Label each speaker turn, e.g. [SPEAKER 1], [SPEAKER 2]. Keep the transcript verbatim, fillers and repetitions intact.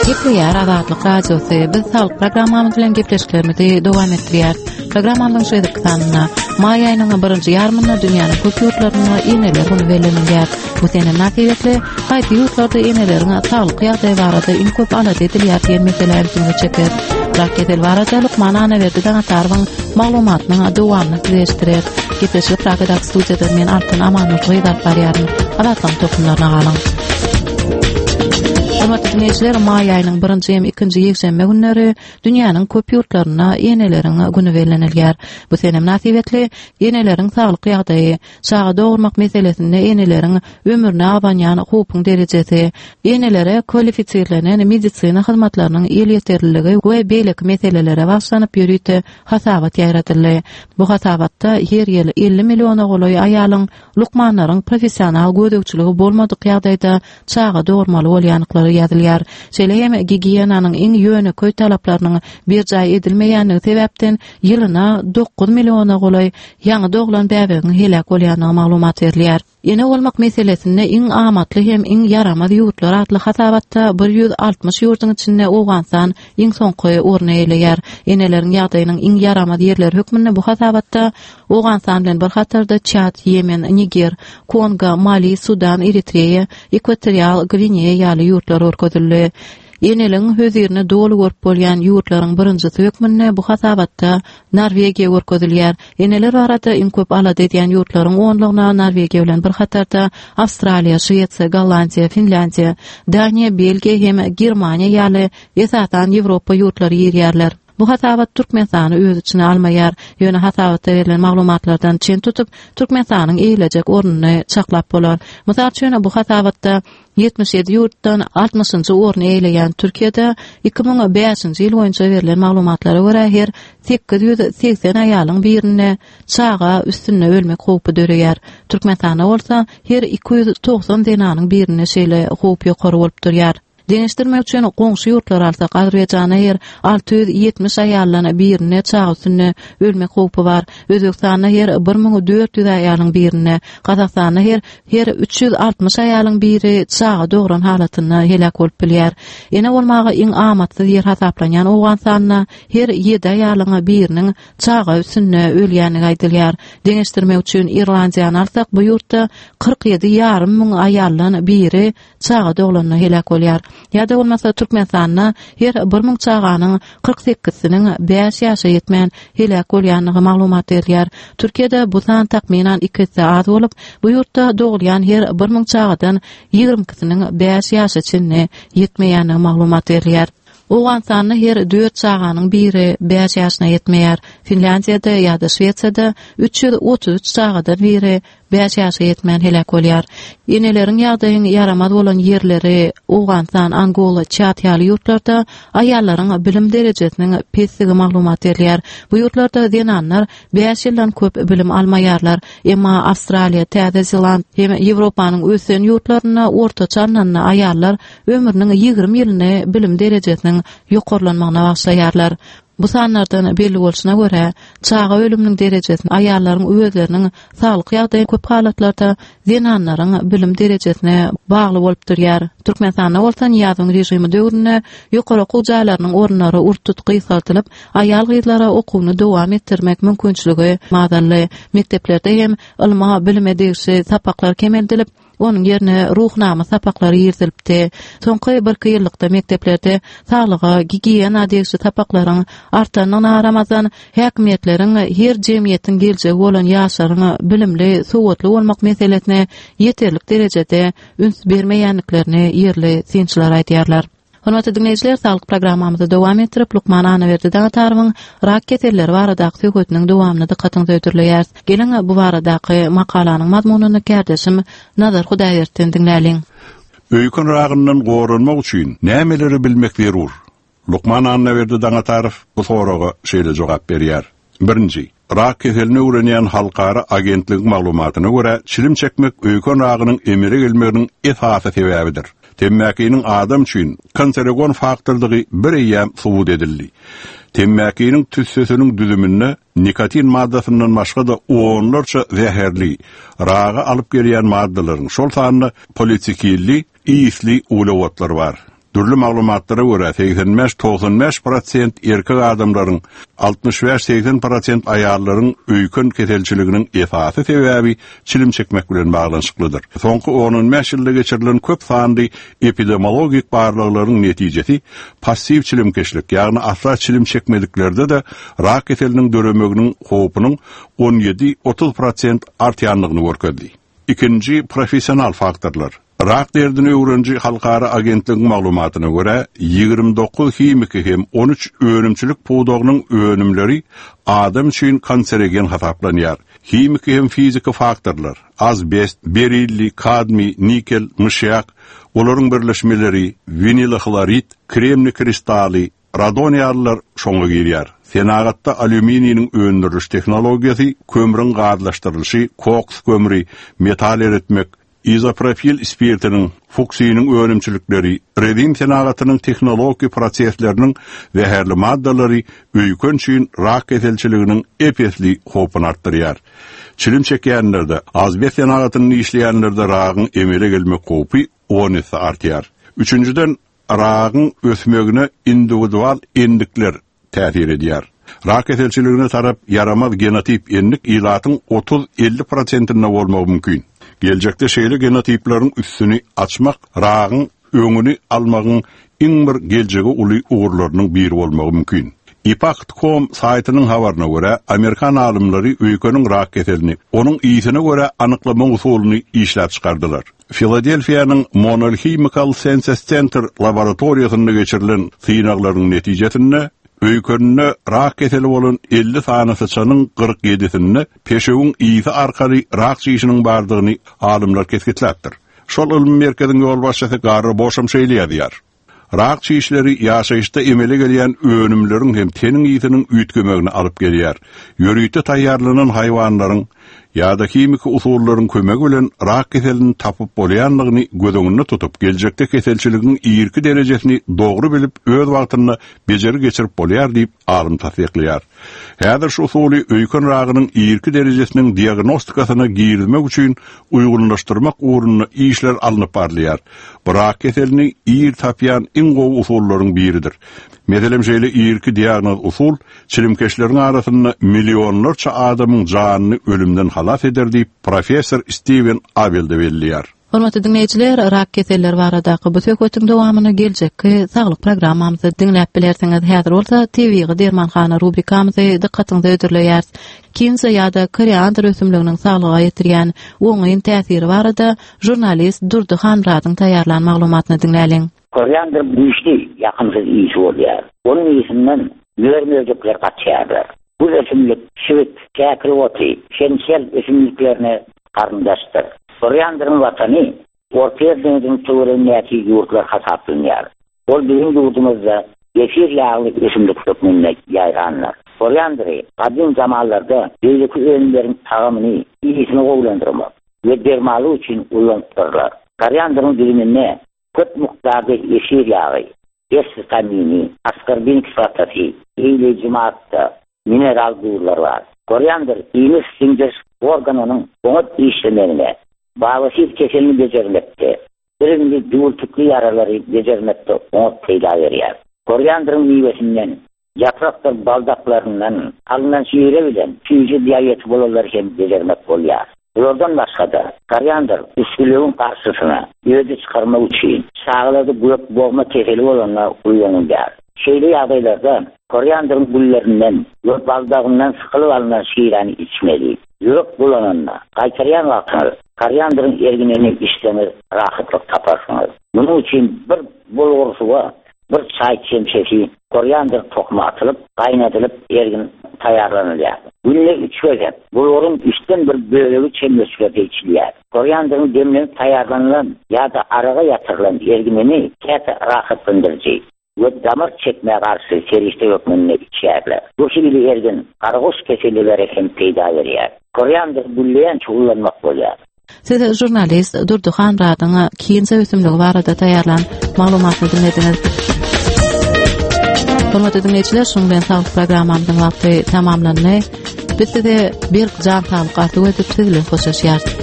[SPEAKER 1] Gepleýär Azatlyk Radiosy. Biz saglyk programmamyz bilen gepleşiklerimizi dowam etdirýäris. Programmamyzyň şu gezekki sanynda maý aýynyň birinji ýarymynda dünýäniň köp ýurtlarynda eneler güni bellenilýär. Bu sene mynasybetli haýsy ýurtlarda eneleriň saglyk ýagdaýy barada iň köp alada edilýär diýen meselä ünsüňizi çekeris. Rak keseli barada lukman Annaberdi Daňatarowyň maglumatynyň dowamyny size eşitdireris. Gepleşigi Pragadaky studiýadan men Altyn Amanmyrat gyz alyp barýaryn. Azatlygyň tolkunlaryna galyň. Hormatly diňleýjiler, maý aýynyň birinji hem ikinji ýekşenbe günleri dünýäniň köp ýurtlarynda eneleriň güni bellenilýär. Bu sene mynasybetli eneleriň saglyk ýagdaýy, çaga dogurmak meselesinde eneleriň ömrüne abanýan howpuň derejesi, enelere kwalifisirlenen medisina hyzmatlarynyň elýeterliligi we beýleki meselelere bagyşlanyp ýörite hasabat ýaýradyldy. Bu hasabatda her ýyl elli milliona golaý aýalyň lukmanlaryň professional gözegçiligi bolmadyk ýagdaýda çaga dogurmaly bolýandyklary ýazylýar. Şeýle hem gigiýenanyň iň ýönekeý talaplarynyň berjaý edilmeýändigi sebäpden ýylyna dokuz milliona golaý ýaňy doglan bäbegiň heläk bolýandygy maglumat berilýär. Ene bolmak meselesinde iň amatly hem iň ýaramaz ýurtlar atly hasabatda bir ýüz altmyş ýurduň içinde Owganystan iň soňky orny eýeleýär. Eneleriň ýagdaýynyň iň ýaramaz ýerleri hökmünde bu hasabatda Owganystan bilen bir hatarda Çad, Ýemen, Niger, Kongo, Mali, Sudan, Eritreýa, Ekwatorial Gwineýa ýaly ýurtlar görkezildi. Eneligiň hözirini doly görüp bolýan ýurtlaryň birinjisi hökmünde bu hasabatda Norwegiýa görkezilýär. Eneler barada iň köp alada edýän ýurtlaryň onlugyna Norwegiýa bilen bir hatarda Awstraliýa, Şwesiýa, Gollandiýa, Finlýandiýa, Daniýa, Belgiýa hem Germaniýa ýaly esasan Ýewropa ýurtlary girýärler. Bu hasabat Türkmenistany öz içine almaýar. Ýöne hasabatda berlen maglumatlardan çen tutup, Türkmenistanyň eýelejek ornuny çaklap bolar. Mysal üçin, bu hasabatda ýetmiş ýedi ýurtdan altmyşynjy orny eýeleýän Türkiýede iki müň bäşinji ýyl boýunça berlen maglumatlara görä her sekiz ýüz segsen aýalyň birinde çaga üstünde ölmek howpy döreýär. Türkmenistanda bolsa her iki ýüz togsan zenanyň birinde şeýle howp ýokary bolup durýar. Deňeşdirmek üçin goňşy ýurtlary alsak, Azerbaýjanda her alty ýüz ýetmiş aýaldan birinde çaga üstünde ölmek howpy bar. Özbegistanda her bir müň dört ýüz aýalyň birinde, Gazagystanda her, her üç ýüz altmyş aýalyň biri çaga dogran halatynda heläk bolup bilýär. Ene bolmaga iň amatsyz ýer hasaplanýan Owganystanda her ýedi aýalyň biriniň çaga üstünde ölýändigi aýdylýar. Deňeşdirmek üçin Irlandiýany alsak, bu ýurtda kyrk ýedi ýarym müň aýaldan biri çaga doglanda heläk bolýar. Ýa-da bolmasa Türkmenistanda her bir müň çaganyň kyrk sekizsiniň bäş ýaşa ýetmän heläk bolýandygy maglumat berilýär. Türkiýede bu san takmynan iki esse az bolup, bu ýurtda dogulýan her bir müň çagadan ýigrimi ikisiniň bäş ýaşa çenli ýetmeýändigi maglumat berilýär. Owganystanda her dört çaganyň biri bäş ýaşyna ýetmeýär. Finlýandiýada ýa-da Şwesiýada üç ýüz otuz üç çagadan biri bäş ýaşa ýetmän heläk bolýar. Eneleriň ýagdaýyň ýaramaz bolan ýerleri Owganystan, Angola, Çad ýaly ýurtlarda aýallaryň bilim derejesiniň pesdigi maglumat berilýär. Bu ýurtlarda zenanlar bäş ýyldan köp bilim almaýarlar. Emma Awstraliýa, Täze Zeland hem Ýewropanyň ösen ýurtlarynda ortaça alnanda aýallar ömrüniň ýigrimi ýylyny bilim derejesiniň ýokarlanmagyna bagyşlaýarlar. Bu sanlardan belli bolşuna görä, çaga ölüminiň derejesini aýallaryň özleriniň saglyk ýagdaýy köp halatlarda zenanlaryň bilim derejesine bagly bolup durýar. Türkmenistanda bolsa Nyýazowyň režimi döwründe ýokary okuw jaýlarynyň orunlary ur-tut gysgaldylyp, aýal-gyzlara okuwyny dowam etdirmek mümkinçiligi azaldy. Mekdeplerde hem ylma, bilime degişli sapaklar kemeldilip, onuň ýerine ruhnama sapaklary girizilipdi. Soňky birki ýyllykda mekdeplerde saglyga, gigiýena degişli sapaklaryň artandygyna garamazdan, häkimiýetleriň her jemgyýetiň geljegi bolan ýaşlaryň bilimli, sowatly bolmak meselesine ýeterlik derejede üns bermeýändiklerini ýerli synçylar aýdýarlar. Hormatly diňleýjiler, saglyk programmamyzy dowam etdirip, lukman Annaberdi Daňatarowyň rak keselleri baradaky söhbetiniň dowamyny dykgatyňyza hödürleýäris. Geliň, bu baradaky makalanyň mazmunyny kärdeşim Nazar Hudaýberdinden diňläliň.
[SPEAKER 2] Öýken ragyndan goranmak üçin nämeleri bilmek zerur? Lukman Annaberdi Daňatarow bu soraga şeýle jogap berýär. Birinji, rak keselini öwrenýän halkara agentligiň maglumatyna görä, çilim çekmek öýken ragynyň emele gelmeginiň esasy sebäbidir. Temmäkiniň adam üçin kanserogen faktordygy bir eýýäm subut edildi. Temmäkiniň tüssesiniň düzüminde nikotin maddasyndan başga-da onlarça zäherli, raga alyp gelýän maddalaryň, şol sanda politsikilli, ýisli uglewodlar bar. Dürli maglumatlara görä seksen bäş togsan bäş prosent erkek adamlaryň, altmyş bäş seksen prosent aýallaryň öýken keselçiliginiň esasy sebäbi çilim çekmek bilen baglanyşyklydyr. Soňky on bäş ýylda geçirilen köp sanly epidemiologik barlaglaryň netijesi passiw çilimkeşlik, ýagny asla çilim çekmediklerde de rak keseliniň döremeginiň howpunyň on ýedi otuz prosent artýanlygyny görkezdi. Ikinji professional faktorlar. Rak derdini öwreniji halkara agentligiň maglumatyna görä ýigrimi dokuz himiki hem on üç önümçilik pudagynyň önümleri adam üçin kanserogen hasaplanýar. Himiki hem fiziki faktorlar, azbest, berilli, kadmi, nikel, myşyak, olaryň birleşmeleri, vinilhlorid, kremni kristaly, radon ýalylar şoňa girýär. Senagatda alýumininiň öndüriliş tehnologiýasy, kömrüň gazlaşdyrylyşy, koks kömri, metal eritmek, izopropil spirtiniň, fuksiniň önümçilikleri, rezin senagatynyň tehnologik prosesleriniň zäherli maddalary öýken üçin rak keselçiliginiň epesli howpuny artdyrýar. Çilim çekýänlerde, azbest senagatynyň işleýänlerde ragyň emele gelmek howpy on esse artýar. Üçünjiden, ragyň ösmegine individual endikler täsir edýär. Rak keselçiligine tarap ýaramaz genotip endik ilatyň otuz elli prosentinde bolmagy mümkin. Geljekde şeýle genotipleriň üstüni açmak ragyň öňüni almagyň iň bir geljegi uly ugurlarynyň biri bolmagy mümkin. Impact nokta com saýtynyň habaryna görä, Amerikan alymlary öýkeniň rak keselini, onuň iyisine görä anyklama usulyny işläp çykardylar. Filadelfiýanyň Monell Chemical Senses Center laboratoriýasynda geçirilen synaglaryň netijesinde öýkeninde rak keseli bolan elli sany syçanyň kyrk ýedisinde peşewiň iyisi arkaly rak çişiniň bardygyny alymlar kesgitläpdir. Şol ylmy merkeziň ýolbaşçysy Garry Boşam şeýle ýazýar. Rak çişleri ýaşaýyşda emele gelýän önümleriň hem teniň iyisiniň üýtgemegini alyp gelýär. Ýörite taýýarlanan haýwanlaryň ýa-da himiki usullaryň kömegi bilen rak keselini tapyp bolýanlygyny göz öňünde tutup, geljekde keselçiligiň irki derejesini dogry bilip, öz wagtynda bejeri geçirip bolýar diýip alym tassyklaýar. Häzir şu usuly öýken ragynyň irki derejesiniň diagnostikasyna girizmek üçin uýgunlaşdyrmak ugrunda işler alnyp barylýar. Bu rak keselini ir tapýan iň gowy usullaryň biridir. Meselem şeýle irki diagnoz usul çilimkeşleriň arasynda millionlarça adamyň janyny ölümden halas eder diýip professor Steven Abel de belleýär.
[SPEAKER 1] Hormatly dinleýjiler, rak keselleri baradaky bu söhbetiň dowamyny geljekki saglyk programmamyzda diňläp bilersiňiz. Häzir bolsa tebigy dermanhana rubrikamyzy dykgatyňyza hödürleýäris. Kinza ýa-da koriandr ösümliginiň saglyga ýetirýän oňyn täsiri barada jurnalist Durdy Hanmyradyň taýýarlan maglumatyny diňläliň.
[SPEAKER 3] Koriandr güýçli, ýakymsyz iyisi bolýar. Onuň iyisinden mör-möjekler gaçýarlar. Bu ösümlik şibit, käkil oty, şemşel ösümliklerine garyndaşdyr. Koriandryň watany Orta deňziniň töweregindäki ýurtlar hasaplanýar. Ol biziň ýurdumyzda efir ýagly ösümlik hökmünde ýaýrandyr. Koriandry gadym zamanlarda beýleki önümleriň tagamyny, iyisini gowulandyrmak we dermanlyk üçin ulanypdyrlar. Koriandryň düzüminde köp mukdarda efir ýagy, S vitamini, askorbin kislotasy, eýleýji madda, mineral duzlar bar. Koriandr iýmit siňdiriş organynyň oňat işlemegine, babasir keselini bejermekde, iriňli düwürtikli ýaralary bejermekde oňat peýda berýär. Koriandryň miwesinden, ýaprakdyr baldaklaryndan alynan şire bilen süýji diabeti bolanlar hem bejermek bolýar. Bulardan başga-da koriandr üsgülewüň garşysyna öde çykarmak üçin çagalarda gök bogma keseli bolanlar ulanylýar. Şeýle ýagdaýlarda koriandryň güllerinden we baldagyndan sykylyp alynan şireni içmeli. Ýürek bulananda gaýtarýan wagtyňyz koriandryň erginini içseňiz rahatlyk taparsyňyz. Munuň üçin bir bulgur suwa bir çaý çemçesi koriandr tohumy atylyp, gaýnadylyp ergin taýýarlanylýar. Günde üç gezek bulguryň üçden bir bölegi çemçelerde içilýär. Koriandryň demlenip taýýarlanylan ýa-da araga ýatyrylan erginini käte rahatlandyryjy we damar çekmä garşy serişde hökmünde içýärler. Bu hili ergin garagoş keselleri hem peýda berýär. Koriandr gülleýän çuwlanmak bolýar.
[SPEAKER 1] Siz jurnalist Durdy Hanmyradyň kinza ösümligi barada taýýarlan maglumatyny diňlediňiz. Hormatly dinleýjiler, şunuň bilen saglyk programmamyzyň wagty tamamlandy. Biz size berk jan saglyk arzuw edip, siz bilen hoşlaşýarys.